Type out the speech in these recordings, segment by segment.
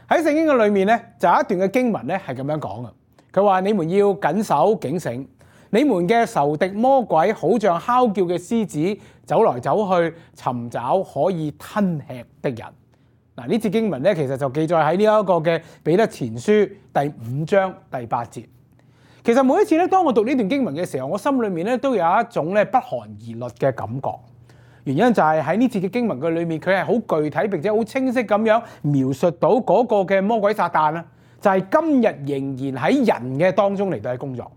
喺聖經嘅裏面咧，就有一段嘅經文咧係咁樣講嘅。佢話：你們要謹守警醒，你們嘅仇敵魔鬼好像哮叫嘅獅子，走來走去尋找可以吞吃的人。嗱，呢節經文咧其實就記載喺呢一個嘅彼得前書第5章第8節。其實每一次咧，當我讀呢段經文嘅時候，我心裏面咧都有一種咧不寒而栗嘅感覺。原因就係喺呢節嘅經文嘅裏面，佢係好具體並且好清晰咁樣描述到嗰個嘅魔鬼撒旦啦，就係今日仍然喺人嘅當中嚟到去工作。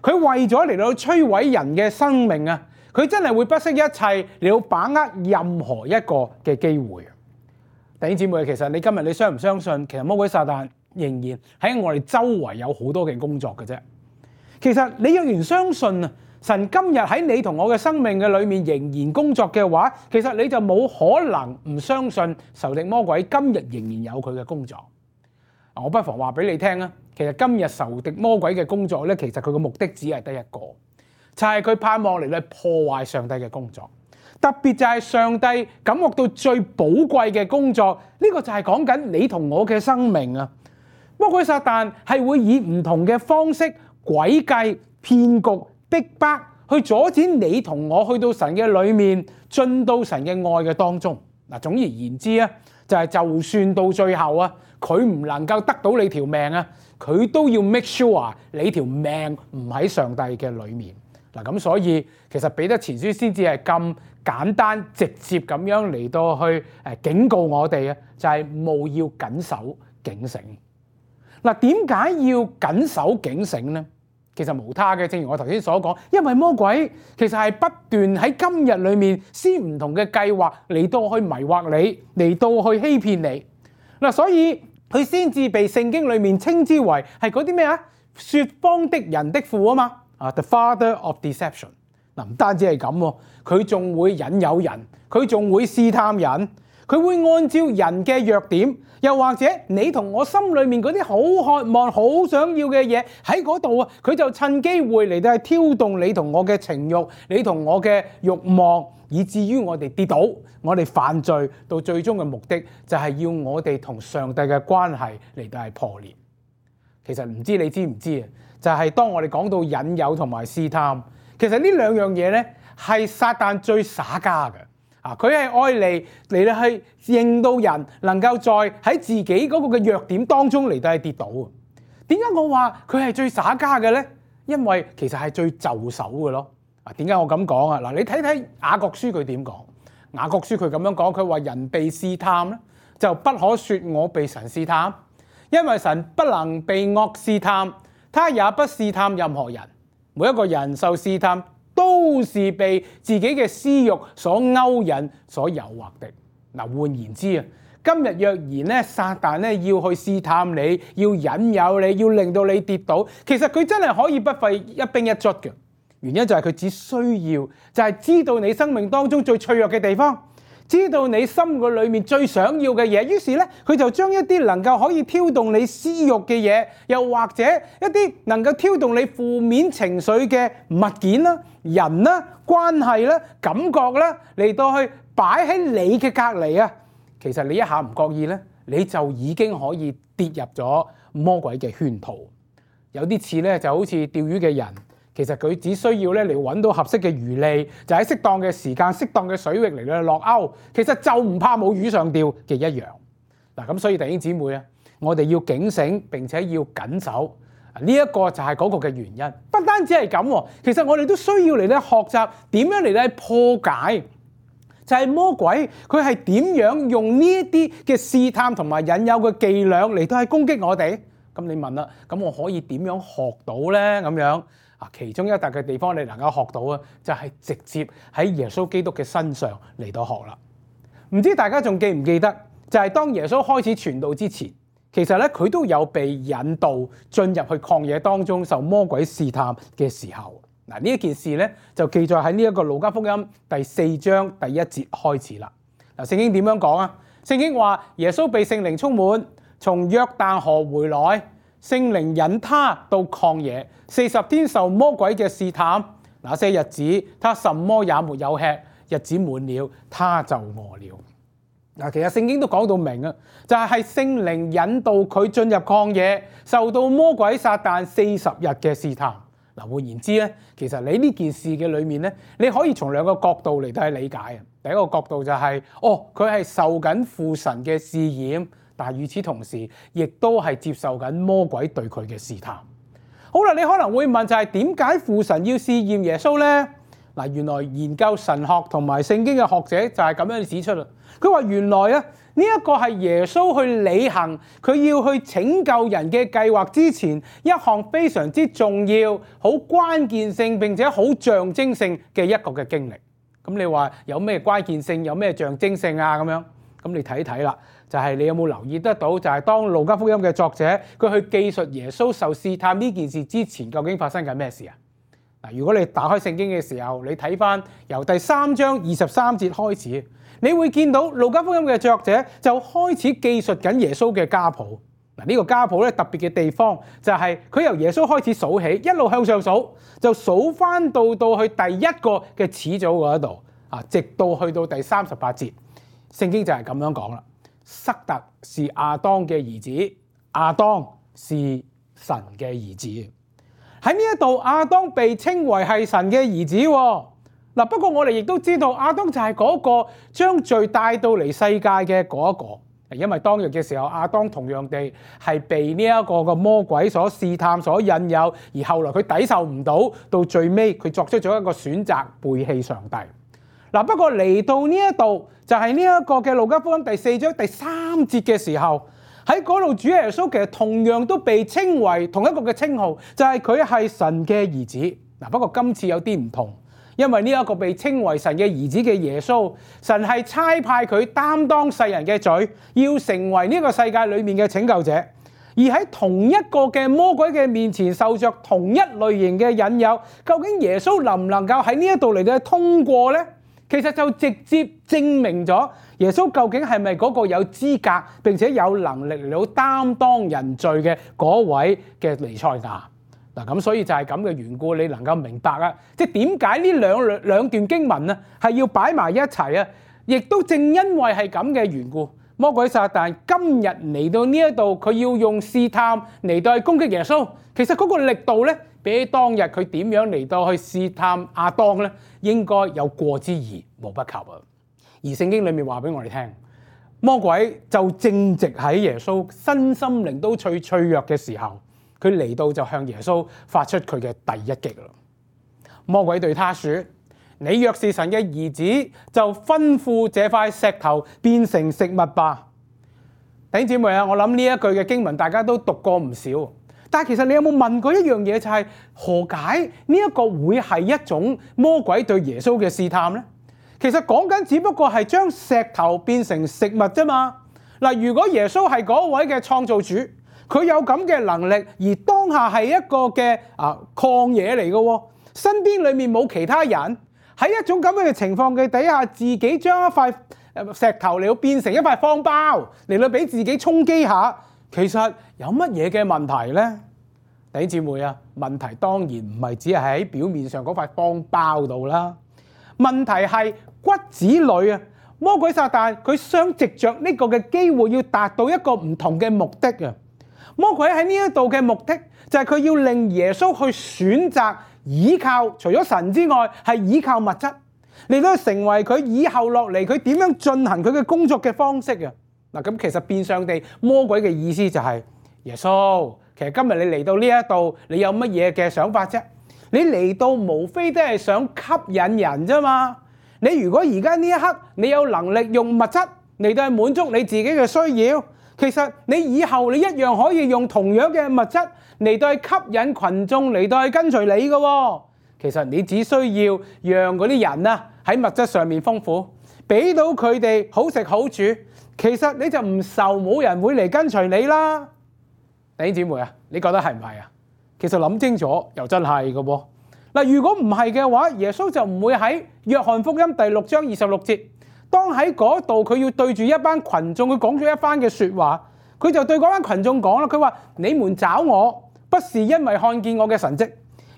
佢為咗嚟到摧毀人嘅生命啊，佢真係會不惜一切嚟到把握任何一個嘅機會。弟兄姊妹，其實你今日你相唔相信，其實魔鬼撒旦仍然喺我哋周圍有好多嘅工作嘅啫。其實你若然相信啊，神今日喺你同我嘅生命嘅裏面仍然工作嘅話，其實你就冇可能唔相信仇敵魔鬼今日仍然有佢嘅工作。我不妨話俾你聽啊，其實今日仇敵魔鬼嘅工作咧，其實佢嘅目的只係得一個，就係佢盼望嚟到破壞上帝嘅工作。特別就係上帝感覺到最寶貴嘅工作，呢個就係講緊你同我嘅生命啊！魔鬼撒旦係會以唔同嘅方式、詭計、騙局、逼迫去阻止你同我去到神嘅裏面，進到神嘅愛嘅當中。嗱，總而言之啊，就算到最後啊，佢唔能夠得到你條命啊，佢都要 make sure 你條命唔喺上帝嘅裏面。嗱，咁所以其實彼得前書先至係咁簡單直接咁樣嚟到去警告我哋啊，就係務要謹守警醒。嗱，點解要謹守警醒呢？其實無他嘅，正如我頭先所講，因為魔鬼其實係不斷喺今日裏面施唔同嘅計劃嚟到去迷惑你，嚟到去欺騙你。嗱，所以佢先至被聖經裏面稱之為係嗰啲咩啊？說謊的人的父啊嘛。The father of deception。嗱，唔單止係咁喎，佢仲會引誘人，佢仲會試探人，佢會按照人嘅弱點，又或者你同我心裏面嗰啲好渴望、好想要嘅嘢喺嗰度啊，佢就趁機會嚟到去挑動你同我嘅情慾，你同我嘅慾望，以至於我哋跌倒，我哋犯罪，到最終嘅目的就係要我哋同上帝嘅關係嚟到係破裂。其實唔知你知唔知啊？就係當我哋講到引誘同埋試探，其實呢兩樣嘢咧係撒旦最耍家嘅啊！佢係愛嚟到去令到人能夠在喺自己嗰個嘅弱點當中嚟到去跌倒啊！點解我話佢係最耍家嘅咧？因為其實係最就手嘅咯啊！點解我咁講啊？嗱，你睇睇雅各書佢點講？雅各書佢咁樣講，佢話人被試探咧，就不可説我被神試探，因為神不能被惡試探。他也不試探任何人，每一個人受試探都是被自己嘅私慾所勾引、所誘惑的。嗱，換言之啊，今日若然咧，撒旦咧要去試探你，要引誘你，要令到你跌倒，其實佢真係可以不費一兵一卒嘅。原因就係佢只需要就係知道你生命當中最脆弱嘅地方。知道你心嘅裏面最想要嘅嘢，於是咧佢就將一啲能夠可以挑動你私慾嘅嘢，又或者一啲能夠挑動你負面情緒嘅物件啦、人啦、關係啦、感覺啦，嚟到去擺喺你嘅隔離啊。其實你一下唔覺意咧，你就已經可以跌入咗魔鬼嘅圈套。有啲似咧就好似釣魚嘅人。其實佢只需要咧嚟揾到合適嘅魚餌，就喺適當嘅時間、適當嘅水域嚟到落鈎。其實就唔怕冇魚上釣嘅一樣。嗱，咁所以弟兄姊妹啊，我哋要警醒並且要緊守。呢一個就係嗰個嘅原因。不單止係咁，其實我哋都需要嚟咧學習點樣嚟咧破解，就係魔鬼佢係點樣用呢一啲嘅試探同埋引誘嘅伎倆嚟到去攻擊我哋。咁你問啦，咁我可以點樣學到咧？咁樣？其中一笪嘅地方你能夠學到啊，就係直接喺耶穌基督嘅身上嚟到學啦。唔知大家仲記唔記得，就係當耶穌開始傳道之前，其實咧佢都有被引導進入去曠野當中受魔鬼試探嘅時候。嗱，呢一件事咧就記載喺呢一個路加福音第4章第1節開始啦。嗱，聖經點樣講啊？聖經話耶穌被聖靈充滿，從約旦河回來。聖靈引他到曠野，40天受魔鬼嘅試探。那些日子，他什麼也沒有吃，日子滿了，他就餓了。嗱，其實聖經都講到明啊，就係聖靈引導佢進入曠野，受到魔鬼撒旦40日嘅試探。嗱，換言之咧，其實你呢件事嘅裏面咧，你可以從兩個角度嚟到去理解啊。第一個角度就係，佢係受緊父神嘅試驗，但係與此同時，亦都係接受緊魔鬼對佢嘅試探。好啦，你可能會問就係點解父神要試驗耶穌呢？嗱，原來研究神學同埋聖經嘅學者就係咁樣指出啦。佢話原來啊，呢一個係耶穌去履行佢要去拯救人嘅計劃之前一項非常之重要、好關鍵性並且好象徵性嘅一個嘅經歷。咁你話有咩關鍵性、有咩象徵性啊？咁樣咁你睇睇啦，就係你有冇留意得到？就係當路加福音嘅作者佢去記述耶穌受試探呢件事之前，究竟發生緊咩事啊？嗱，如果你打開聖經嘅時候，你睇翻由第3章23節開始，你會見到路加福音嘅作者就開始記述緊耶穌嘅家譜。嗱，呢個家譜咧特別嘅地方就係佢由耶穌開始數起，一路向上數，就數翻到去第一個嘅始祖嗰度啊，直到去到第38節，聖經就係咁樣講啦。塞特是亞當嘅兒子，亞當是神嘅兒子。喺呢一度，亞當被稱為係神嘅兒子喎。嗱，不過我哋亦都知道，亞當就係嗰個將罪帶到嚟世界嘅嗰一個。因為當日嘅時候，亞當同樣地係被呢一個嘅魔鬼所試探、所引誘，而後來佢抵受唔到，到最尾佢作出咗一個選擇，背棄上帝。嗱，不過嚟到呢一度，就係呢一個嘅路加福音第4章第3節嘅時候。喺嗰度，主耶穌其實同樣都被稱為同一個嘅稱號，就係佢係神嘅兒子。嗱，不過今次有啲唔同，因為呢一個被稱為神嘅兒子嘅耶穌，神係差派佢擔當世人嘅罪，要成為呢個世界裏面嘅拯救者。而喺同一個嘅魔鬼嘅面前，受着同一類型嘅引誘，究竟耶穌能唔能夠喺呢一度嚟到通過呢？其實就直接證明咗耶穌究竟係咪嗰個有資格並且有能力嚟到擔當人罪嘅嗰位嘅彌賽亞。嗱，咁所以就係咁嘅緣故，你能夠明白啊，即係點解呢兩段經文啊係要擺埋一齊啊？亦都正因為係咁嘅緣故，魔鬼撒旦今日嚟到呢一度，佢要用試探嚟到去攻擊耶穌。其實嗰個力度咧，比起當日佢點樣嚟到去試探亞當咧，應該有過之而無不及啊！而聖經裏面話俾我哋聽，魔鬼就正值喺耶穌身心靈都最脆弱嘅時候，佢嚟到就向耶穌發出佢嘅第一擊啦。魔鬼對他說：你若是神嘅兒子，就吩咐這塊石頭變成食物吧。弟兄姊妹啊，我諗呢一句嘅經文大家都讀過唔少，但係其實你有冇問過一樣嘢，就係何解呢一個會係一種魔鬼對耶穌嘅試探呢？其實講緊只不過係將石頭變成食物啫嘛。嗱，如果耶穌係嗰位嘅創造主，佢有咁嘅能力，而當下係一個嘅曠野嚟嘅喎，身邊裏面冇其他人，喺一種咁樣嘅情況嘅底下，自己將一塊石頭嚟到變成一塊方包嚟到俾自己充飢下，其實有乜嘢嘅問題呢？弟兄姊妹啊，問題當然唔係只係喺表面上嗰塊方包度啦，問題係骨子裏啊，魔鬼撒旦佢想藉着呢個嘅機會要達到一個唔同嘅目的啊！魔鬼喺呢一度嘅目的就係佢要令耶穌去選擇依靠除咗神之外，係依靠物質嚟到成為佢以後落嚟佢點樣進行佢嘅工作嘅方式啊！嗱，咁其實變相地魔鬼嘅意思就係耶穌，其實今日你嚟到呢一度，你有乜嘢嘅想法啫？你嚟到無非都係想吸引人啫嘛！你如果而家呢一刻你有能力用物質嚟到去滿足你自己嘅需要，其實你以後你一樣可以用同樣嘅物質嚟到去吸引群眾嚟到去跟隨你嘅喎。其實你只需要讓嗰啲人啊喺物質上面豐富，俾到佢哋好食好住，其實你就唔愁冇人會嚟跟隨你啦。弟兄姊妹啊，你覺得係唔係啊？其實諗清楚又真係嘅喎。嗱，如果唔係嘅話，耶穌就唔會喺約翰福音第6章26節，當喺嗰度佢要對住一班群眾，佢講咗一番嘅説話，佢就對嗰班群眾講啦，佢話：你們找我，不是因為看見我嘅神蹟，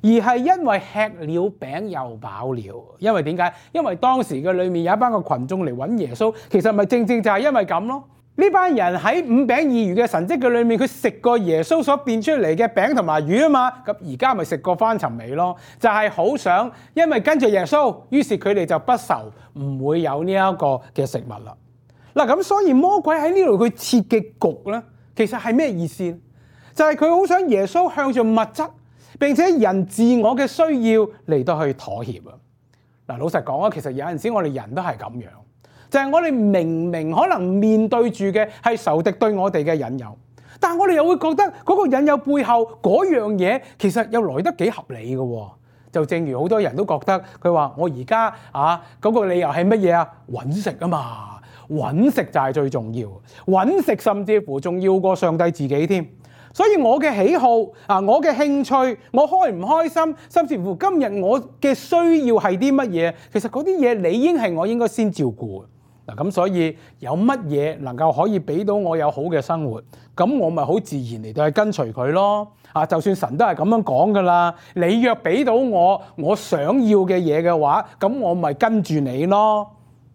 而係因為吃了餅又飽了。因為點解？因為當時嘅裏面有一班嘅群眾嚟揾耶穌，其實咪正正就係因為咁咯。呢班人喺5餅2魚嘅神蹟嘅裏面，佢食過耶穌所變出嚟嘅餅同埋魚啊嘛，咁而家咪食過翻尋味咯，就係好想因為跟住耶穌，於是佢哋就不愁唔會有呢一個嘅食物啦。嗱，咁所以魔鬼喺呢度佢設嘅局咧，其實係咩意思？就係佢好想耶穌向住物質並且人自我嘅需要嚟到去妥協啊！嗱，老實講啊，其實有陣時我哋人都係咁樣。就係我哋明明可能面對住嘅係仇敵對我哋嘅引誘，但係我哋又會覺得嗰個引誘背後嗰樣嘢其實又來得幾合理嘅喎。就正如好多人都覺得佢話我而家嗰個理由係乜嘢啊？揾食啊嘛，揾食就係最重要，揾食甚至乎仲要過上帝自己添。所以我嘅喜好我嘅興趣，我開唔開心，甚至乎今日我嘅需要係啲乜嘢，其實嗰啲嘢理應係我應該先照顧。嗱，咁所以有乜嘢能夠可以俾到我有好嘅生活，咁我咪好自然嚟到去跟隨佢咯。就算神都係咁樣講噶啦，你若俾到我想要嘅嘢嘅話，咁我咪跟住你咯。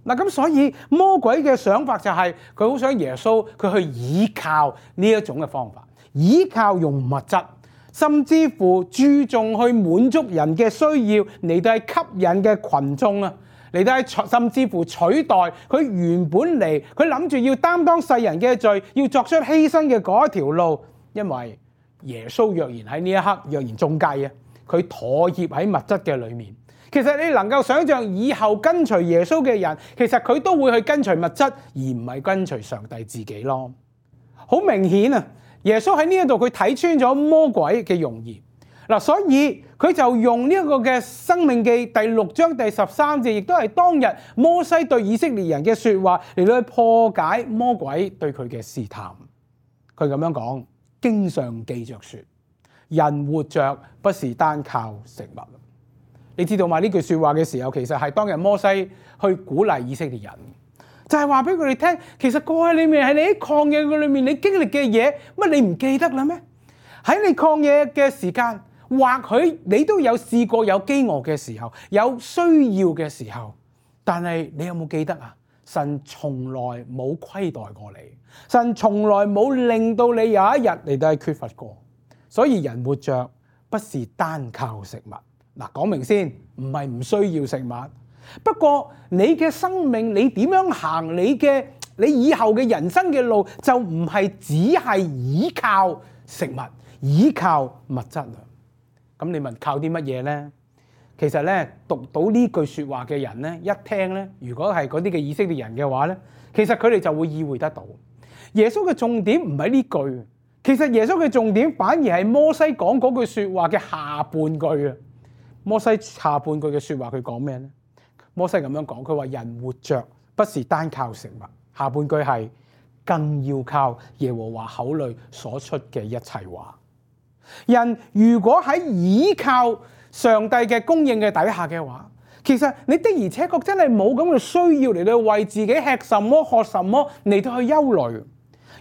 嗱，咁所以魔鬼嘅想法就係佢好想耶穌佢去依靠呢一種嘅方法，依靠用物質，甚至乎注重去滿足人嘅需要嚟到係吸引嘅群眾啊，嚟到係甚至乎取代佢原本嚟佢諗住要擔當世人嘅罪，要作出犧牲嘅嗰一條路。因為耶穌若然喺呢一刻若然中計佢妥協喺物質嘅裏面，其實你能夠想象以後跟隨耶穌嘅人，其實佢都會去跟隨物質，而唔係跟隨上帝自己咯。好明顯啊！耶穌喺呢一度佢睇穿咗魔鬼嘅用意，所以佢就用呢一個嘅申命記第6章第13節，亦都係當日摩西對以色列人嘅說話嚟到去破解魔鬼對佢嘅試探。佢咁樣講，經上記着說，人活着不是單靠食物。你知道嘛？呢句說話嘅時候，其實係當日摩西去鼓勵以色列人。就係話俾佢哋聽，其實過去裏面係你喺曠野嘅裏面，你經歷嘅嘢，乜你唔記得啦咩？喺你曠野嘅時間，或許你都有試過有飢餓嘅時候，有需要嘅時候，但係你有冇記得啊？神從來冇虧待過你，神從來冇令到你有一日嚟到係缺乏過。所以人活着不是單靠食物。嗱，講明先，唔係唔需要食物。不過你嘅生命，你點樣行你以後嘅人生嘅路，就唔係只係依靠食物、依靠物質啦。咁你問靠啲乜嘢呢？其實咧，讀到呢句說話嘅人咧，一聽咧，如果係嗰啲嘅以色列人嘅話咧，其實佢哋就會意會得到耶穌嘅重點唔係呢句，其實耶穌嘅重點反而係摩西講嗰句說話嘅下半句啊。摩西下半句嘅說話佢講咩咧？摩西咁樣講，佢話人活着不是單靠食物，下半句係更要靠耶和華口裏所出嘅一切話。人如果喺依靠上帝嘅供應嘅底下嘅話，其實你的而且確真係冇咁嘅需要嚟到為自己吃什麼喝什麼嚟到去憂慮。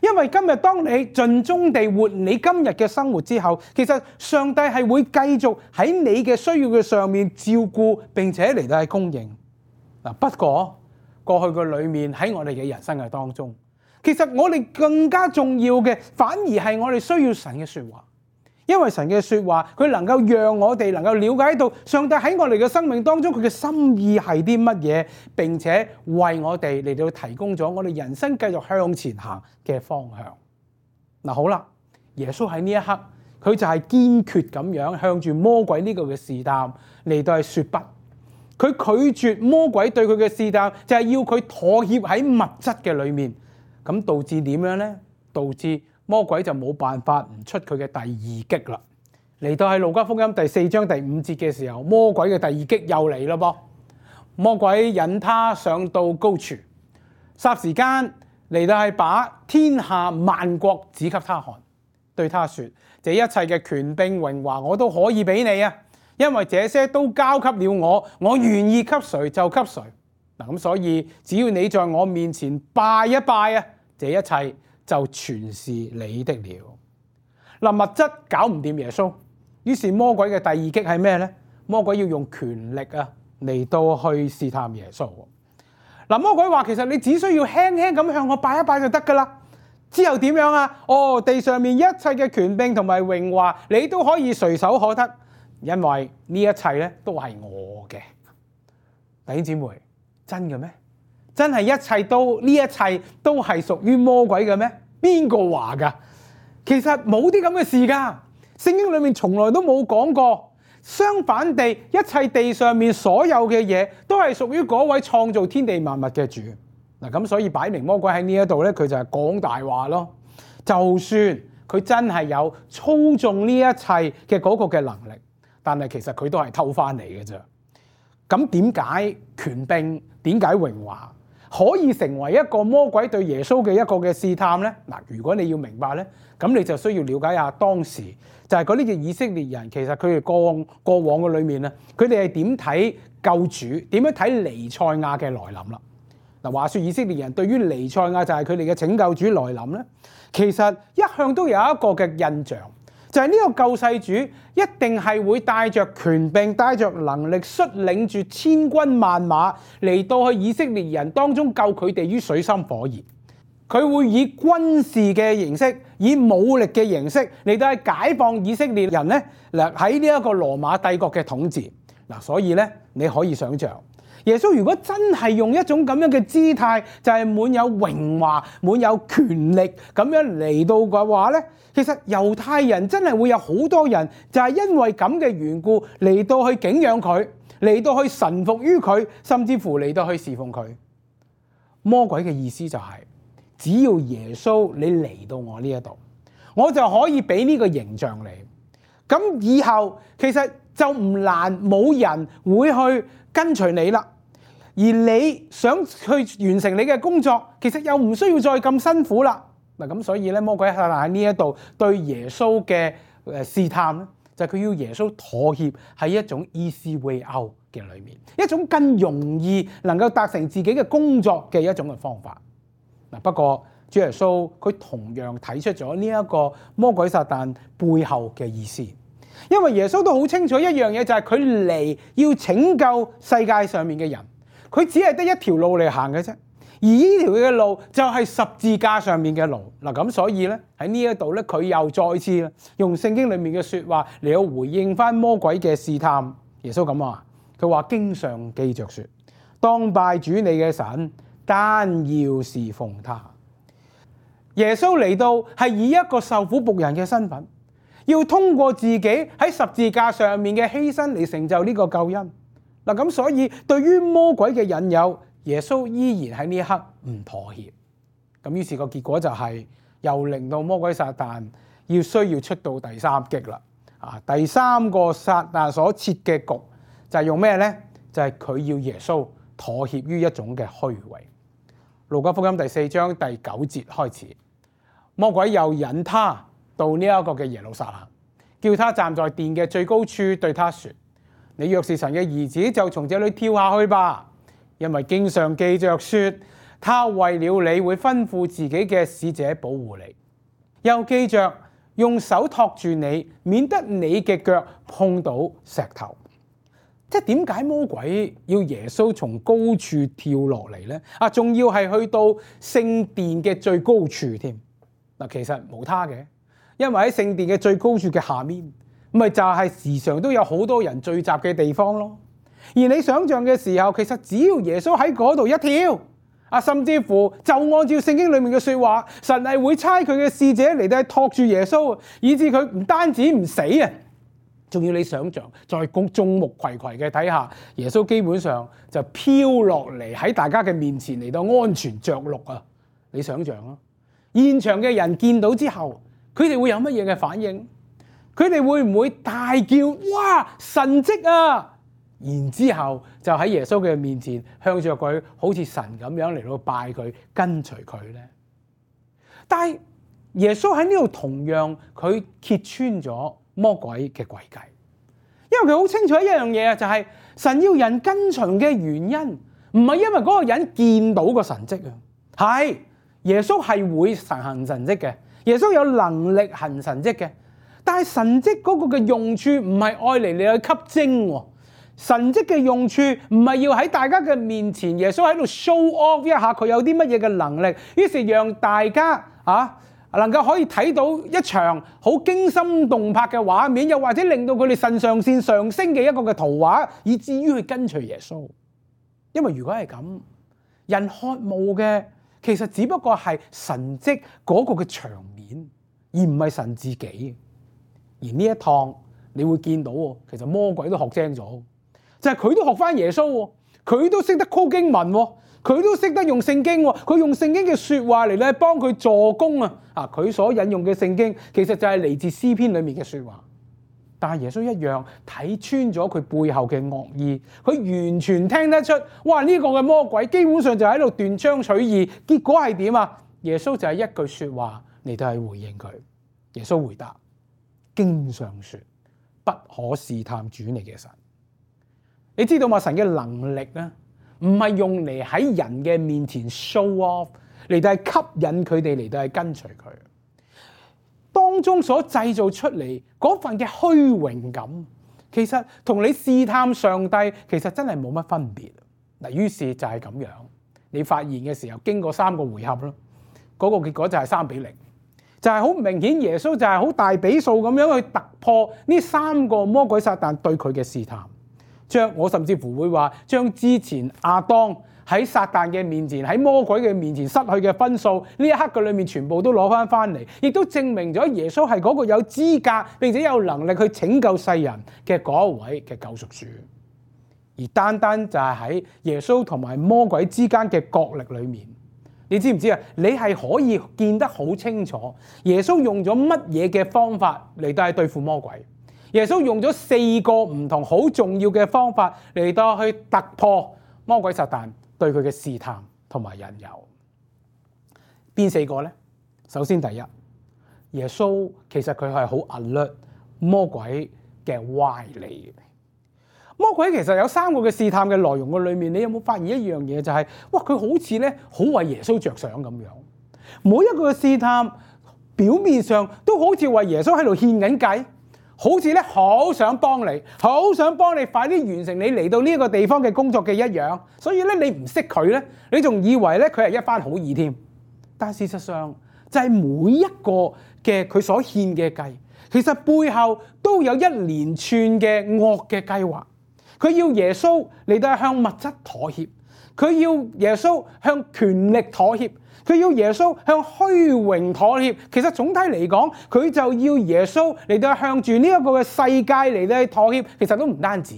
因為今日當你盡忠地活你今日嘅生活之後，其實上帝係會繼續喺你嘅需要嘅上面照顧並且嚟到去供應。不過過去嘅裏面喺我哋嘅人生嘅當中，其實我哋更加重要嘅反而係我哋需要神嘅說話，因為神嘅說話佢能夠讓我哋能夠了解到上帝喺我哋嘅生命當中佢嘅心意係啲乜嘢，並且為我哋嚟到提供咗我哋人生繼續向前行嘅方向。好啦，耶穌喺呢一刻佢就係堅決咁樣向住魔鬼呢個嘅試探嚟到係說不。佢拒絕魔鬼對佢嘅試探，就係要佢妥協喺物質嘅裏面，咁導致點樣呢？導致魔鬼就冇辦法唔出佢嘅第二擊啦。嚟到喺路加福音第4章第5節嘅時候，魔鬼嘅第二擊又嚟啦噃。魔鬼引他上到高處，霎時間嚟到係把天下萬國指給他看，對他說：這一切嘅權柄榮華我都可以俾你啊！因為這些都交給了我願意給誰就給誰。咁所以只要你在我面前拜一拜啊，這一切就全是你的了。物質搞唔掂耶穌，於是魔鬼嘅第二擊係咩呢？魔鬼要用權力嚟到去試探耶穌。嗱，魔鬼話其實你只需要輕輕咁向我拜一拜就得㗎啦。之後點樣啊？地上面一切嘅權柄同埋榮華，你都可以隨手可得，因為呢一切咧都係我嘅。弟兄姊妹，真嘅咩？真係一切都係屬於魔鬼嘅咩？邊個話㗎？其實冇啲咁嘅事㗎，聖經裏面從來都冇講過。相反地，一切地上面所有嘅嘢都係屬於嗰位創造天地萬物嘅主。嗱，咁所以擺明魔鬼喺呢一度咧，佢就係講大話咯。就算佢真係有操縱呢一切嘅嗰個嘅能力，但係其實佢都係偷翻嚟嘅啫。咁點解權柄、點解榮華可以成為一個魔鬼對耶穌嘅一個嘅試探呢？嗱，如果你要明白呢，咁你就需要了解下當時就係嗰啲嘅以色列人，其實佢哋過往嘅裏面咧，佢哋係點睇救主，點樣睇彌賽亞嘅來臨啦？嗱，話說以色列人對於彌賽亞就係佢哋嘅拯救主來臨咧，其實一向都有一個嘅印象，就係呢個救世主一定係會帶着權柄、帶着能力，率領住千軍萬馬嚟到去以色列人當中救佢哋於水深火熱。佢會以軍事嘅形式、以武力嘅形式嚟到去解放以色列人咧，嗱喺呢一個羅馬帝國嘅統治。嗱，所以咧你可以想象，耶穌如果真係用一種咁樣嘅姿態，就係滿有榮華、滿有權力咁樣嚟到嘅話咧，其實猶太人真係會有好多人就係因為咁嘅緣故嚟到去敬仰佢，嚟到去臣服於佢，甚至乎嚟到去侍奉佢。魔鬼嘅意思就係，只要耶穌你嚟到我呢一度，我就可以俾呢個形象你。咁以後其實就唔難，冇人會去跟隨你啦。而你想去完成你嘅工作，其實又唔需要再咁辛苦啦。嗱，咁所以咧，魔鬼喺呢一度對耶穌嘅試探咧，就係佢要耶穌妥協喺一種 easy way out 嘅裏面，一種更容易能夠達成自己嘅工作嘅一種嘅方法。嗱，不過主耶穌佢同樣睇出咗呢一個魔鬼撒旦背後嘅意思，因為耶穌都好清楚一樣嘢，就係佢嚟要拯救世界上面嘅人，佢只係得一條路嚟行嘅啫，而呢條嘅路就係十字架上面嘅路。嗱，咁所以咧喺呢一度咧，佢又再次用聖經裡面嘅説話嚟到回應翻魔鬼嘅試探。耶穌咁話，佢話經上記着說，當拜主你嘅神，單要侍奉他。耶穌嚟到係以一個受苦僕人嘅身份，要通過自己喺十字架上面嘅犧牲嚟成就呢個救恩。嗱，咁所以對於魔鬼嘅引誘，耶穌依然喺呢一刻唔妥協。咁於是個結果就係又令到魔鬼撒旦需要出到第三擊啦。第三個撒旦所設嘅局就係用咩呢？就係佢要耶穌妥協於一種嘅虛榮。路加福音第4章第9節開始，魔鬼又引他到呢一個嘅耶路撒冷，叫他站在殿嘅最高處，對他說：你若是神嘅兒子，就從這裏跳下去吧，因為經上記着說，他為了你會吩咐自己嘅使者保護你，又記着用手托住你，免得你嘅腳碰到石頭。即係點解魔鬼要耶穌從高處跳落嚟呢？仲要係去到聖殿嘅最高處添。嗱，其實冇他嘅，因為喺聖殿嘅最高處嘅下面，咪就係時常都有好多人聚集嘅地方咯。而你想象嘅時候，其實只要耶穌喺嗰度一跳，甚至乎就按照聖經裡面嘅說話，神係會差佢嘅使者嚟到托住耶穌，以致佢唔單止唔死啊！仲要你想象，在眾目睽睽嘅睇下，耶穌基本上就飄落嚟喺大家嘅面前嚟到安全着陸啊！你想象啊，現場嘅人見到之後，佢哋會有乜嘢嘅反應？佢哋會唔會大叫：哇！神蹟啊！然之後就喺耶穌嘅面前向着佢好似神咁樣嚟到拜佢，跟隨佢呢？但係耶穌喺呢度同樣佢揭穿咗魔鬼嘅詭計，因為佢好清楚一樣嘢，就係神要人跟隨嘅原因，唔係因為嗰個人見到個神蹟啊，係耶穌係會行神蹟嘅，耶穌有能力行神蹟嘅，但係神蹟嗰個嘅用處唔係愛嚟你去吸睛喎。神蹟嘅用處唔係要喺大家嘅面前，耶穌喺度 show off 一下佢有啲乜嘢嘅能力，於是讓大家能夠可以睇到一場好驚心動魄嘅畫面，又或者令到佢哋腎上腺上升嘅一個嘅圖畫，以至於去跟隨耶穌。因為如果係咁，人渴慕嘅其實只不過係神蹟嗰個嘅場面，而唔係神自己。而呢一趟你會見到，其實魔鬼都學精咗。就係佢都學翻耶穌，佢都識得 call 經文，佢都識得用聖經，佢用聖經嘅說話嚟咧幫佢助攻啊！佢所引用嘅聖經其實就係嚟自詩篇裏面嘅說話，但係耶穌一樣睇穿咗佢背後嘅惡意，佢完全聽得出，哇！呢個嘅魔鬼基本上就喺度斷章取義，結果係點啊？耶穌就係一句說話嚟到係回應佢。耶穌回答：經上說，不可試探主你嘅神。你知道嘛？神嘅能力咧，唔係用嚟喺人嘅面前 show off， 嚟到係吸引佢哋嚟到係跟隨佢。當中所製造出嚟嗰份嘅虛榮感，其實同你試探上帝其實真係冇乜分別。嗱，於是就係咁樣，你發現嘅時候，經過3個回合咯，嗰個結果就係3-0，就係好明顯耶穌就係好大比數咁樣去突破呢3個魔鬼撒旦對佢嘅試探。我甚至乎會話，將之前亞當喺撒旦嘅面前，喺魔鬼嘅面前失去嘅分數，呢一刻嘅裏面全部都攞翻嚟，亦都證明咗耶穌係嗰個有資格並且有能力去拯救世人嘅嗰一位嘅救贖主。而單單就係喺耶穌同埋魔鬼之間嘅角力裏面，你知唔知啊？你係可以見得好清楚，耶穌用咗乜嘢嘅方法嚟到係對付魔鬼。耶穌用咗4個唔同好重要嘅方法嚟到去突破魔鬼撒旦對佢嘅試探同埋引誘。邊4個呢？首先第一，耶穌其實佢係好 alert 魔鬼嘅歪理。魔鬼其實有3個嘅試探嘅內容嘅裏面，你有冇發現一樣嘢？就係哇，佢好似咧好為耶穌着想咁樣。每一個嘅試探表面上都好似為耶穌喺度獻緊計。好似咧好想幫你，好想幫你快啲完成你嚟到呢個地方嘅工作嘅一樣，所以咧你唔識佢咧，你仲以為咧佢係一番好意添。但事實上就係每一個嘅佢所獻嘅計，其實背後都有一連串嘅惡嘅計劃。佢要耶穌嚟到向物質妥協，佢要耶穌向權力妥協，佢要耶穌向虛榮妥協。其實總體嚟講，佢就要耶穌嚟到向住呢一個嘅世界嚟到妥協。其實都唔單止，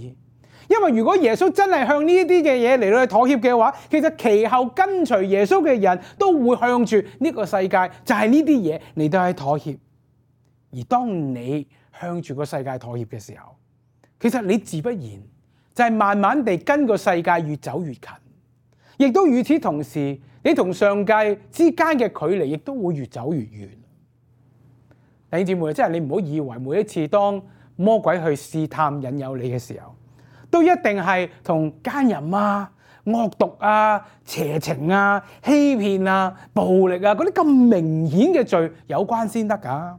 因為如果耶穌真係向呢啲嘅嘢嚟到妥協嘅話，其實其後跟隨耶穌嘅人都會向住呢個世界，就係呢啲嘢嚟到去妥協。而當你向住個世界妥協嘅時候，其實你自不然就係慢慢地跟個世界越走越近，亦都與此同時，你同上帝之間嘅距離亦都會越走越遠。弟兄姊妹，即係你唔好以為每一次當魔鬼去試探引誘你嘅時候，都一定係同奸淫啊、惡毒啊、邪情啊、欺騙啊、暴力啊嗰啲咁明顯嘅罪有關先得㗎。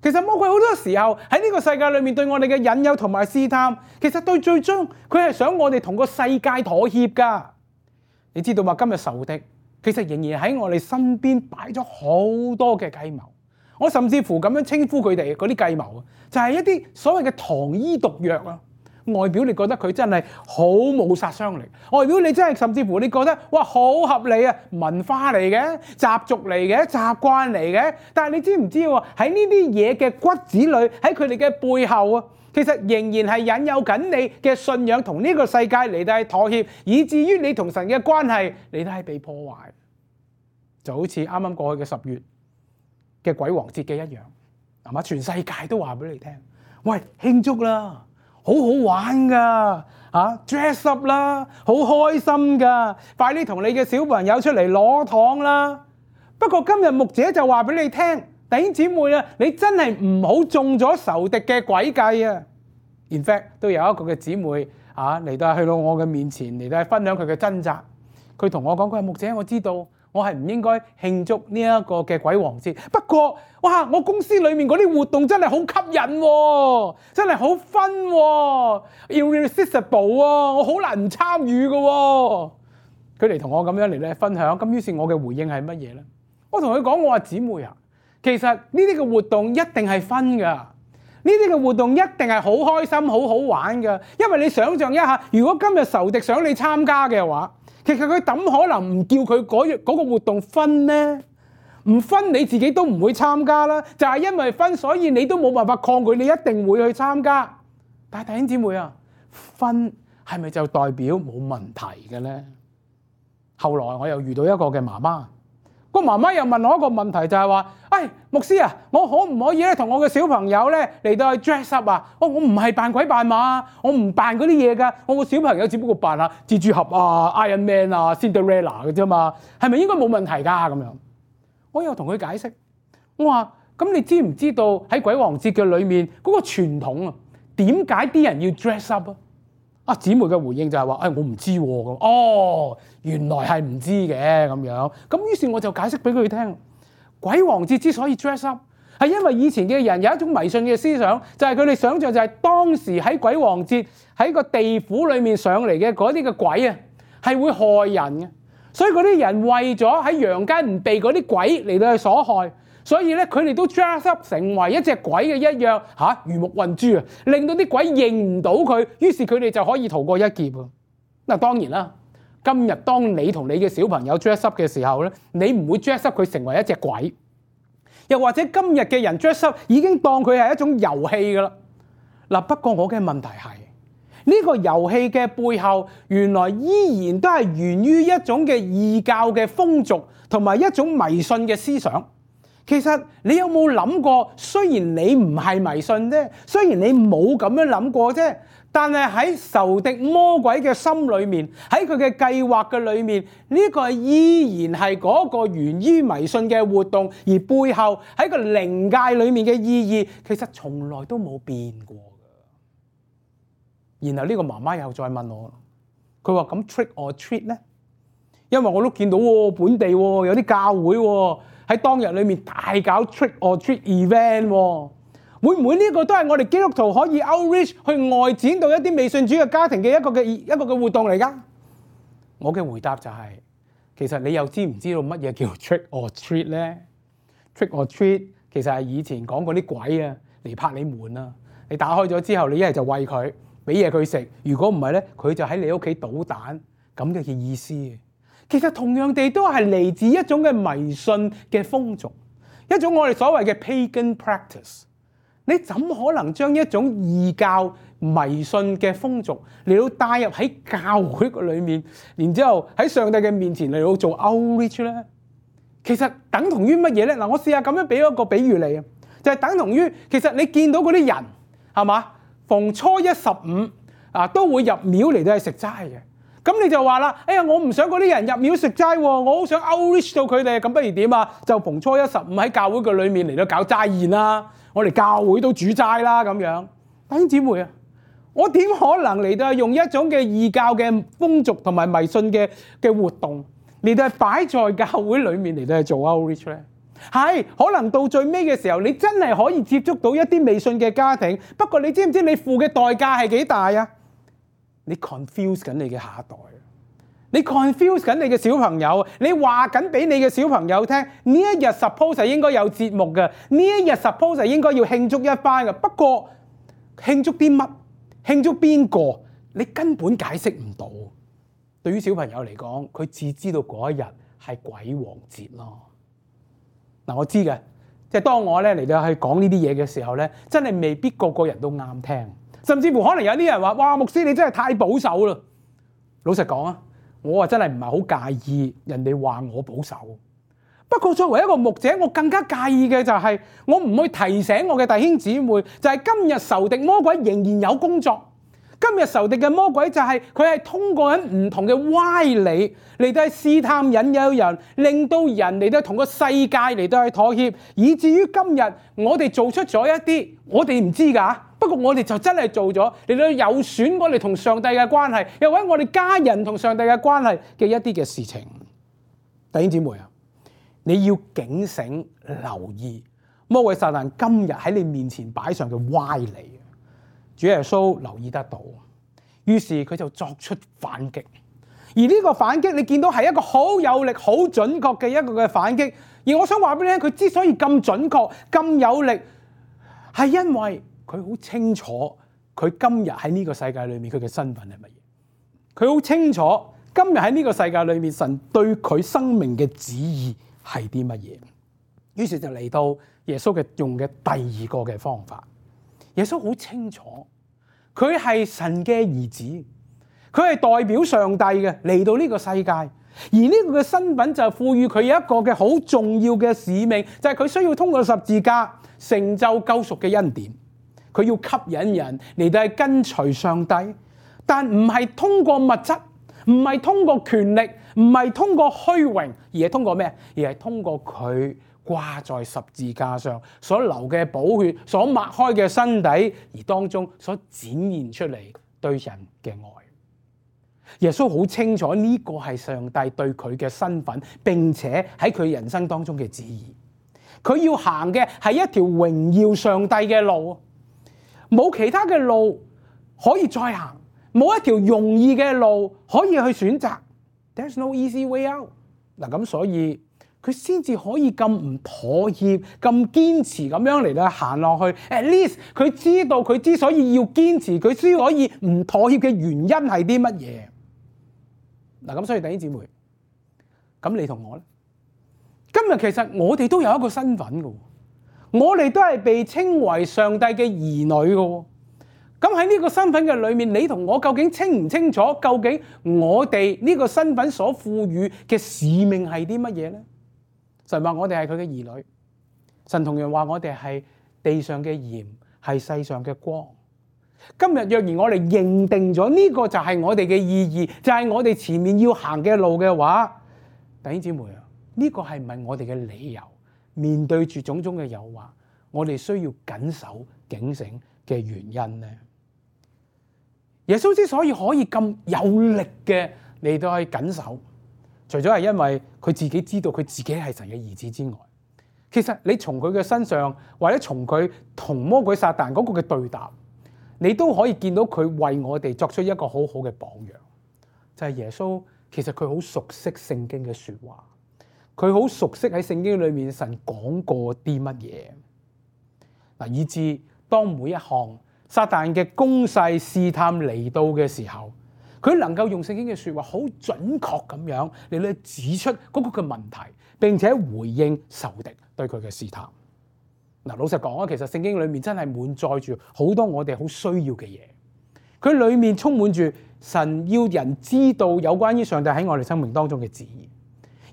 其實魔鬼好多時候喺呢個世界裏面對我哋嘅引誘同埋試探，其實對最終佢係想我哋同個世界妥協㗎。你知道嘛？今日仇敵其實仍然喺我哋身邊擺咗好多嘅計謀。我甚至乎咁樣稱呼佢哋嗰啲計謀，就係一啲所謂嘅糖衣毒藥啊！外表你覺得佢真係好冇殺傷力，外表你真係甚至乎你覺得哇好合理啊，文化嚟嘅、習俗嚟嘅、習慣嚟嘅。但係你知唔知喎？喺呢啲嘢嘅骨子裏，喺佢哋嘅背後啊，其實仍然係引誘緊你嘅信仰同呢個世界嚟到係妥協，以至於你同神嘅關係嚟到係被破壞。就好似啱啱過去嘅10月嘅鬼王節嘅一樣，係嘛？全世界都話俾你聽，喂，慶祝啦！好好玩噶，dress up 啦，好開心噶，快啲同你嘅小朋友出嚟攞糖啦！不過今日牧者就話俾你聽，弟兄姊妹啊，你真係唔好中咗仇敵嘅詭計啊 ！In fact， 都有一個嘅姊妹嚟到去到我嘅面前嚟到分享佢嘅掙扎，佢同我講：佢話牧者，我知道我係唔應該慶祝呢一個嘅鬼王節。不過，哇！我公司裏面嗰啲活動真係好吸引喎，真係好 fun 喎 ，irresistible 喎，我好難唔參與嘅喎。佢哋同我咁樣嚟咧分享，咁於是我嘅回應係乜嘢咧？我同佢講，我話姊妹啊，其實呢啲嘅活動一定係 fun 㗎，呢啲嘅活動一定係好開心、好好玩㗎。因為你想象一下，如果今日仇敵想你參加嘅話，其實佢點可能唔叫佢嗰個活動分呢？唔分你自己都唔會參加啦，就係因為分，所以你都冇辦法抗拒，你一定會去參加。但係弟兄姊妹啊，分係咪就代表冇問題嘅呢？後來我又遇到一個嘅媽媽，個媽媽又問我一個問題，就係話：牧師啊，我可唔可以咧同我嘅小朋友咧嚟到去 dress up 啊？我唔係扮鬼扮馬，我唔扮嗰啲嘢㗎。我個小朋友只不過扮下蜘蛛俠啊、Iron Man 啊、Cinderella 嘅啫嘛，係咪應該冇問題㗎？咁樣，我又同佢解釋，我話：咁你知唔知道喺鬼王節嘅裏面嗰個傳統啊？點解啲人要 dress up 啊？姊妹嘅回應就係話：我唔知喎。哦，原來係唔知嘅咁樣。咁於是我就解釋俾佢聽。鬼王節之所以 dress up，係因為以前嘅人有一種迷信嘅思想，就係佢哋想像就係當時喺鬼王節喺個地府裏面上嚟嘅嗰啲嘅鬼啊，係會害人嘅。所以嗰啲人為咗喺陽間唔被嗰啲鬼嚟到去所害，所以咧佢哋都 dress up 成為一隻鬼嘅一樣嚇，魚目混珠啊，令到啲鬼認唔到佢，於是佢哋就可以逃過一劫啊！嗱，當然啦。今日當你同你嘅小朋友 dress up 嘅時候咧，你唔會 dress up 佢成為一隻鬼，又或者今日嘅人 dress up 已經當佢係一種遊戲噶啦。嗱，不過我嘅問題係呢個遊戲嘅背後，原來依然都係源於一種嘅異教嘅風俗同埋一種迷信嘅思想。其實你有冇諗過？雖然你唔係迷信啫，雖然你冇咁樣諗過啫。但係喺仇敵魔鬼嘅心裏面，喺佢嘅計劃嘅裏面，呢個依然係嗰個源於迷信嘅活動，而背後喺個靈界裏面嘅意義，其實從來都冇變過嘅。然後呢個媽媽又再問我，佢話：咁 trick or treat 呢？因為我都見到本地有啲教會喺當日裏面大搞 trick or treat event 會唔會呢個都係我哋基督徒可以 outreach 去外展到一啲未信主嘅家庭嘅一個嘅活動嚟㗎？我嘅回答就係，其實你又知唔知道乜嘢叫 trick or treat 咧？ trick or treat 其實係以前講嗰啲鬼啊嚟拍你門啊，你打開咗之後，你一係就餵佢，俾嘢佢食，如果唔係咧，佢就喺你屋企搗蛋咁嘅意思。其實同樣地都係嚟自一種嘅迷信嘅風俗，一種我哋所謂嘅 pagan practice。你怎可能將一種異教迷信嘅風俗嚟到帶入喺教會裏面，然之後喺上帝嘅面前嚟到做 outreach 咧？其實等同於乜嘢咧？嗱，我試下咁樣俾一個比喻你啊，就係等同於其實你見到嗰啲人係嘛，逢初一十五都會入廟嚟到去食齋嘅。咁你就話啦，我唔想嗰啲人入廟食齋喎，我好想 outreach 到佢哋。咁不如點啊？就逢初一十五喺教會嘅裏面嚟到搞齋宴啦。我哋教會都煮齋啦，咁樣。弟兄姊妹啊，我點可能嚟到用一種嘅異教嘅風俗同埋迷信嘅活動嚟到擺在教會裏面嚟到去做 outreach 咧？係可能到最尾嘅時候，你真係可以接觸到一啲未信嘅家庭。不過你知唔知你付嘅代價係幾大啊？你 confuse 緊你嘅下一代，你 confuse 緊你嘅小朋友，你話緊俾你嘅小朋友聽，呢一日 suppose 係應該有節目嘅，呢一日 suppose 係應該要慶祝一番嘅。不過慶祝啲乜？慶祝邊個？你根本解釋唔到。對於小朋友嚟講，佢只知道嗰一日係鬼王節咯。嗱，我知嘅，即係當我咧嚟到去講呢啲嘢嘅時候咧，真係未必個個人都啱聽。甚至乎可能有啲人話：哇，牧師你真係太保守啦！老實講啊，我真係唔係好介意人哋話我保守。不過作為一個牧者，我更加介意嘅就係我唔去提醒我嘅弟兄姊妹，就係今日仇敵魔鬼仍然有工作。今日仇敵嘅魔鬼就係佢係通過緊唔同嘅歪理嚟到去試探引誘人，令到人嚟到同個世界嚟到去妥協，以至於今日我哋做出咗一啲我哋唔知㗎。不過我哋就真係做咗，嚟到有損我哋同上帝嘅關係，又或者我哋家人同上帝嘅關係嘅一啲嘅事情。弟兄姊妹啊，你要警醒留意魔鬼撒旦今日喺你面前擺上嘅歪理。主耶穌留意得到，於是佢就作出反擊。而呢個反擊你見到係一個好有力、好準確嘅一個嘅反擊。而我想話俾你聽，佢之所以咁準確、咁有力，係因為佢好清楚佢今日喺呢個世界裏面佢嘅身份係乜嘢。佢好清楚今日喺呢個世界裏面神對佢生命嘅旨意係啲乜嘢。於是就嚟到耶穌用嘅第二個嘅方法。耶穌好清楚佢係神嘅兒子，佢係代表上帝嘅嚟到呢個世界，而呢個嘅身份就賦予佢有一個嘅好重要嘅使命，就係佢需要通過十字架成就救贖嘅恩典。佢要吸引人嚟到係跟隨上帝，但唔係通過物質，唔係通過權力，唔係通過虛榮，而係通過咩？而係通過佢掛在十字架上所流嘅寶血，所擘開嘅身體，而當中所展現出嚟對人嘅愛。耶穌好清楚呢個係上帝對佢嘅身份，並且喺佢人生當中嘅旨意。佢要行嘅係一條榮耀上帝嘅路，冇其他嘅路可以再行，冇一條容易嘅路可以去選擇。There's no easy way out。嗱，咁所以佢先至可以咁唔妥協、咁堅持咁樣嚟到行落去。At least 佢知道佢之所以要堅持，佢先可以唔妥協嘅原因係啲乜嘢。嗱，咁所以弟兄姊妹，咁你同我咧？今日其實我哋都有一個身份嘅，我哋都係被稱為上帝嘅兒女嘅。咁喺呢個身份嘅裏面，你同我究竟清唔清楚？究竟我哋呢個身份所賦予嘅使命係啲乜嘢咧？神話我哋係佢嘅兒女，神同樣話我哋係地上嘅鹽，係世上嘅光。今日若然我哋認定咗呢個就係我哋嘅意義，就係我哋前面要行嘅路嘅話，弟兄姊妹啊，呢個係唔係我哋嘅理由？面對住種種嘅誘惑，我哋需要謹守警醒嘅原因呢？耶穌之所以可以咁有力嘅嚟到去謹守，除咗係因為佢自己知道佢自己係神嘅兒子之外，其實你從佢嘅身上，或者從佢同魔鬼撒旦嗰個嘅對答，你都可以見到佢為我哋作出一個好好嘅榜樣。就係耶穌其實佢好熟悉聖經嘅說話，佢好熟悉喺聖經裏面神講過啲乜嘢嗱，以致當每一項撒旦嘅攻勢試探嚟到嘅時候，佢能夠用聖經嘅說話好準確咁樣嚟到指出嗰個嘅問題，並且回應仇敵對佢嘅試探。嗱，老實講啊，其實聖經裏面真係滿載住好多我哋好需要嘅嘢，佢裏面充滿住神要人知道有關於上帝喺我哋生命當中嘅旨意。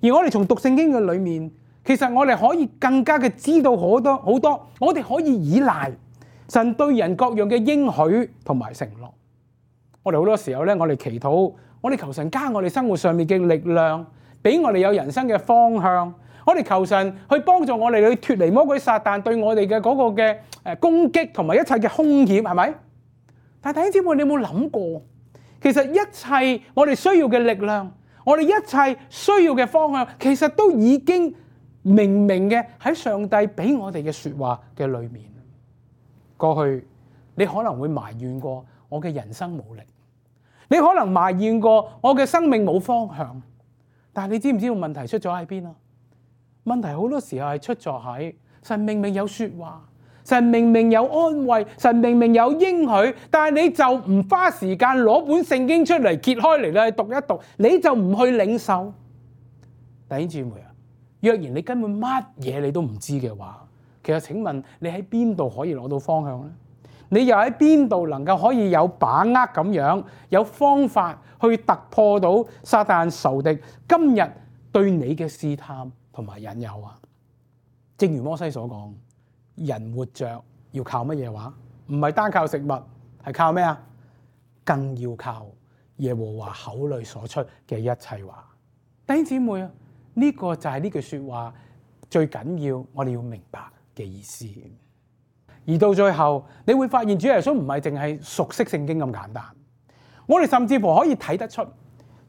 而我哋從讀聖經嘅裏面，其實我哋可以更加嘅知道好多好多，我哋可以依賴神對人各樣嘅應許同埋承諾。我哋好多時候咧，我哋祈禱，我哋求神加我哋生活上面嘅力量，俾我哋有人生嘅方向。我哋求神去幫助我哋去脫離魔鬼撒旦對我哋嘅嗰個嘅攻擊同埋一切嘅兇險，係咪？但係弟兄姊妹，你有冇諗過，其實一切我哋需要嘅力量，我哋一切需要嘅方向，其實都已經明明嘅喺上帝俾我哋嘅說話嘅裏面。過去你可能會埋怨過我嘅人生冇力，你可能埋怨過我嘅生命冇方向，但係你知唔知道問題出咗喺邊啊？問題好多時候係出咗喺神明明有說話，神明明有安慰，神明明有應許，但係你就唔花時間攞本聖經出嚟揭開嚟咧讀一讀，你就唔去領受。弟兄姊妹啊，若然你根本乜嘢你都唔知嘅話，其實請問你喺邊度可以攞到方向呢？你又喺邊度能夠可以有把握咁樣，有方法去突破到撒旦仇敵今日對你嘅試探同埋引誘啊？正如摩西所講，人活着要靠乜嘢話？唔係單靠食物，係靠咩啊？更要靠耶和華口裏所出嘅一切話。弟兄姊妹啊，呢個就係呢句說話最緊要我哋要明白嘅意思。而到最後你會發現主耶穌唔係淨係熟悉聖經咁簡單，我哋甚至乎可以睇得出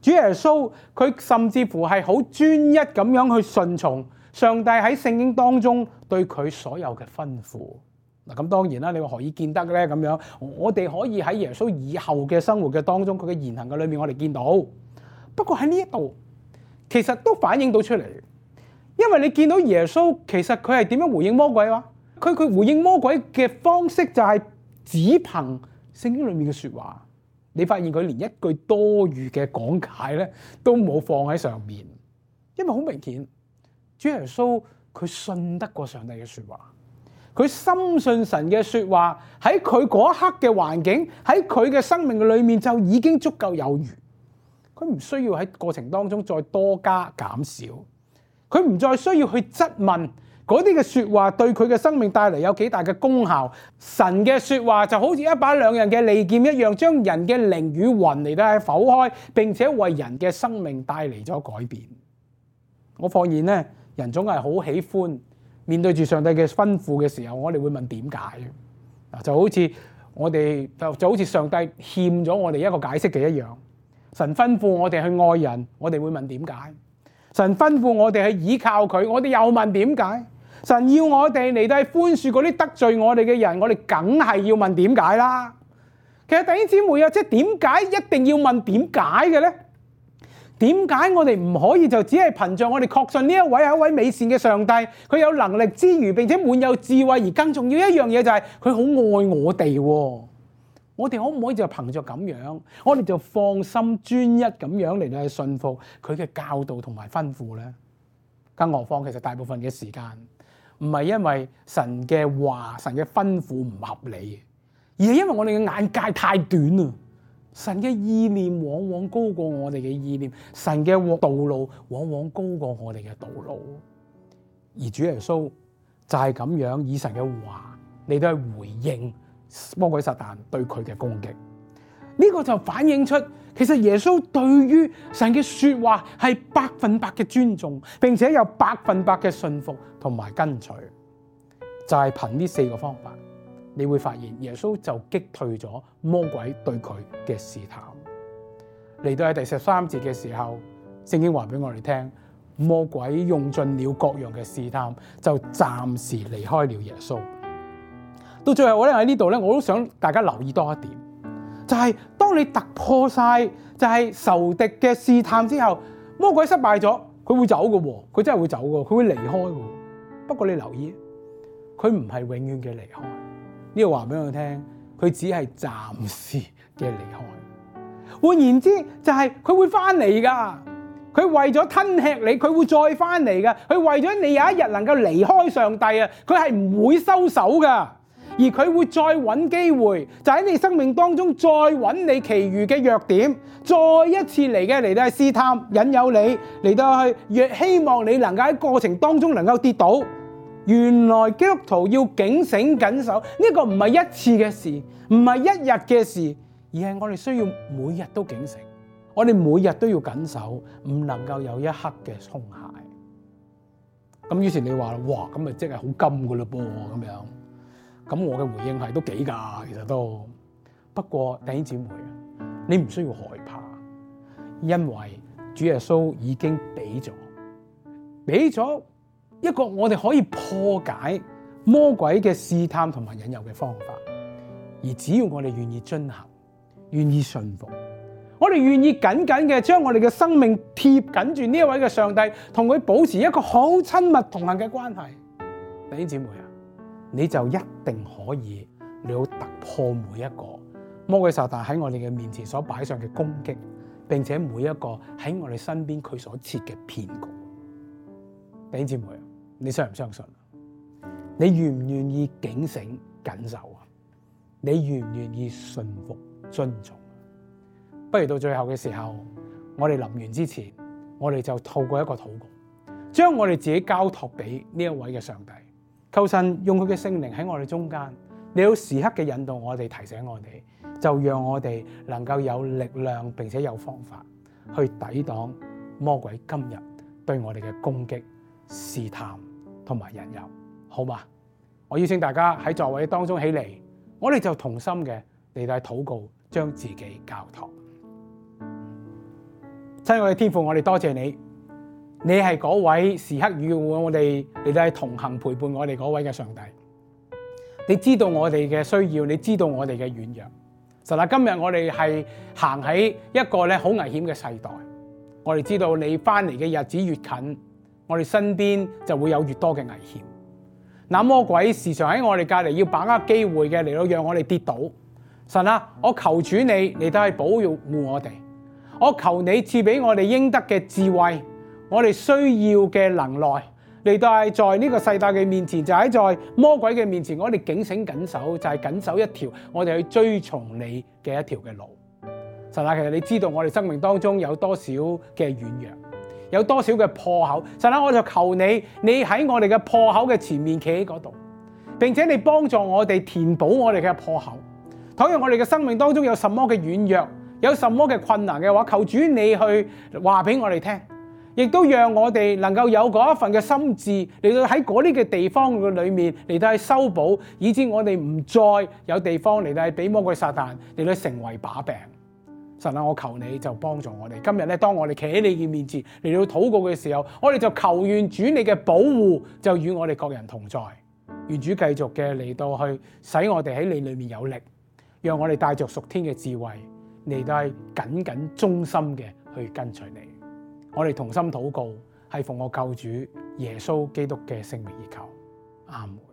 主耶穌佢甚至乎係好專一咁樣去順從上帝喺聖經當中對佢所有嘅吩咐。嗱，咁當然啦，你話何以見得咧？咁樣我哋可以喺耶穌以後嘅生活嘅當中，佢嘅言行嘅裏面，我哋見到。不過喺呢一度，其實都反映到出嚟，因為你見到耶穌其實佢係點樣回應魔鬼啊？佢回應魔鬼嘅方式就係只憑聖經裏面嘅說話。你發現佢連一句多餘嘅講解咧都冇放喺上面，因為好明顯，主耶穌佢信得過上帝嘅說話，佢深信神嘅說話喺佢嗰一刻嘅環境，喺佢嘅生命嘅裏面就已經足夠有餘，佢唔需要喺過程當中再多加減少，佢唔再需要去質問嗰啲嘅說話對佢嘅生命帶嚟有幾大嘅功效。神嘅說話就好似一把兩刃嘅利劍一樣，將人嘅靈與魂嚟到去剖開，並且為人嘅生命帶嚟咗改變。我發現咧，人總係好喜歡面對住上帝嘅吩咐嘅時候，我哋會問點解？就好似我哋就好似上帝欠咗我哋一個解釋嘅一樣。神吩咐我哋去愛人，我哋會問點解？神吩咐我哋去依靠佢，我哋又問點解？神要我哋嚟到去寬恕嗰啲得罪我哋嘅人，我哋梗係要問點解啦。其實弟兄姊妹啊，即係點解一定要問點解嘅咧？點解我哋唔可以就只係憑着我哋確信呢一位係一位美善嘅上帝，佢有能力之餘並且滿有智慧，而更重要一樣嘢就係佢好愛我哋。我哋可唔可以就憑着咁樣，我哋就放心專一咁樣嚟到去信服佢嘅教導同埋吩咐咧？更何況其實大部分嘅時間唔係因為神嘅話、神嘅吩咐唔合理，而係因為我哋嘅眼界太短啦。神嘅意念往往高過我哋嘅意念，神嘅道路往往高過我哋嘅道路。而主耶穌就係咁樣以神嘅話嚟到去回應魔鬼撒旦對佢嘅攻擊。呢個就反映出其實耶穌對於神嘅說話係100%嘅尊重，並且有100%嘅信服同埋跟隨。就係憑呢4個方法，你會發現耶穌就擊退咗魔鬼對佢嘅試探。嚟到喺第13節嘅時候，聖經話俾我哋聽，魔鬼用盡了各樣嘅試探，就暫時離開了耶穌。到最後咧，喺呢度咧，我都想大家留意多一點，就係當你突破晒就係仇敵嘅試探之後，魔鬼失敗咗，佢會走嘅喎，佢真係會走嘅，佢會離開嘅。不過你留意，佢唔係永遠嘅離開。呢個話俾我聽，佢只係暫時嘅離開。換言之，就係佢會翻嚟噶。佢為咗吞吃你，佢會再翻嚟噶。佢為咗你有一日能夠離開上帝啊，佢係唔會收手噶。而佢會再揾機會，就喺你生命當中再揾你其餘嘅弱點，再一次嚟到去試探、引誘你嚟到去，若希望你能夠喺過程當中能夠跌倒。原來基督徒要警醒緊守，呢個唔係一次嘅事，唔係一日嘅事，而係我哋需要每日都警醒，我哋每日都要緊守，唔能夠有一刻嘅鬆懈。咁於是你話哇，咁咪即係好金噶嘞噃咁樣。咁我嘅回應係都幾㗎，其實都。不過弟兄姊妹，你唔需要害怕，因為主耶穌已經俾咗一個我哋可以破解魔鬼嘅試探同埋引誘嘅方法。而只要我哋願意遵行，願意信服，我哋願意緊緊嘅將我哋嘅生命貼緊住呢一位嘅上帝，同佢保持一個好親密同行嘅關係。弟兄姊妹啊，你就一定可以你要突破每一個魔鬼撒旦喺我哋嘅面前所擺上嘅攻擊，並且每一個喺我哋身邊佢所設嘅騙局。弟兄姊妹，你相唔相信？你願唔願意警醒緊守啊？你願唔願意信服遵從？不如到最後嘅時候，我哋臨完之前，我哋就透過一個禱告，將我哋自己交託俾呢一位嘅上帝。求神用佢嘅聖靈喺我哋中間，你要時刻嘅引導我哋，提醒我哋，就讓我哋能夠有力量，並且有方法去抵擋魔鬼今日對我哋嘅攻擊、試探同埋引誘，好嗎？我邀請大家喺座位當中起嚟，我哋就同心嘅嚟到禱告，將自己交託。親愛嘅天父，我哋多謝你，你係嗰位時刻與我哋嚟到係同行陪伴我哋嗰位嘅上帝。你知道我哋嘅需要，你知道我哋嘅軟弱。神啊，今日我哋係行喺一個好危險嘅世代，我哋知道你翻嚟嘅日子越近，我哋身邊就會有越多嘅危險。那魔鬼時常喺我哋隔離要把握機會嘅嚟到讓我哋跌倒。神啊，我求主你都係保護我哋，我求你賜俾我哋應得嘅智慧，我哋需要嘅能耐嚟到係在呢個世界嘅面前，就喺在魔鬼嘅面前，我哋警醒緊守，就係緊守一條我哋去追從你嘅一條嘅路。神啊，其實你知道我哋生命當中有多少嘅軟弱，有多少嘅破口。神啊，我就求你喺我哋嘅破口嘅前面企喺嗰度，並且你幫助我哋填補我哋嘅破口。倘若我哋嘅生命當中有什麼嘅軟弱，有什麼嘅困難嘅話，求主你去話俾我哋聽，亦都讓我哋能夠有嗰一份嘅心志嚟到喺嗰啲嘅地方嘅裏面嚟到去修補，以致我哋唔再有地方嚟到係俾魔鬼撒旦嚟到成為把柄。神啊，我求你就幫助我哋。今日咧，當我哋企喺你嘅面前嚟到禱告嘅時候，我哋就求願主你嘅保護就與我哋各人同在。願主繼續嘅嚟到去使我哋喺你裏面有力，讓我哋帶着屬天嘅智慧嚟到係緊緊忠心嘅去跟隨你。我哋同心禱告，係奉我救主耶穌基督嘅聖名而求，阿門。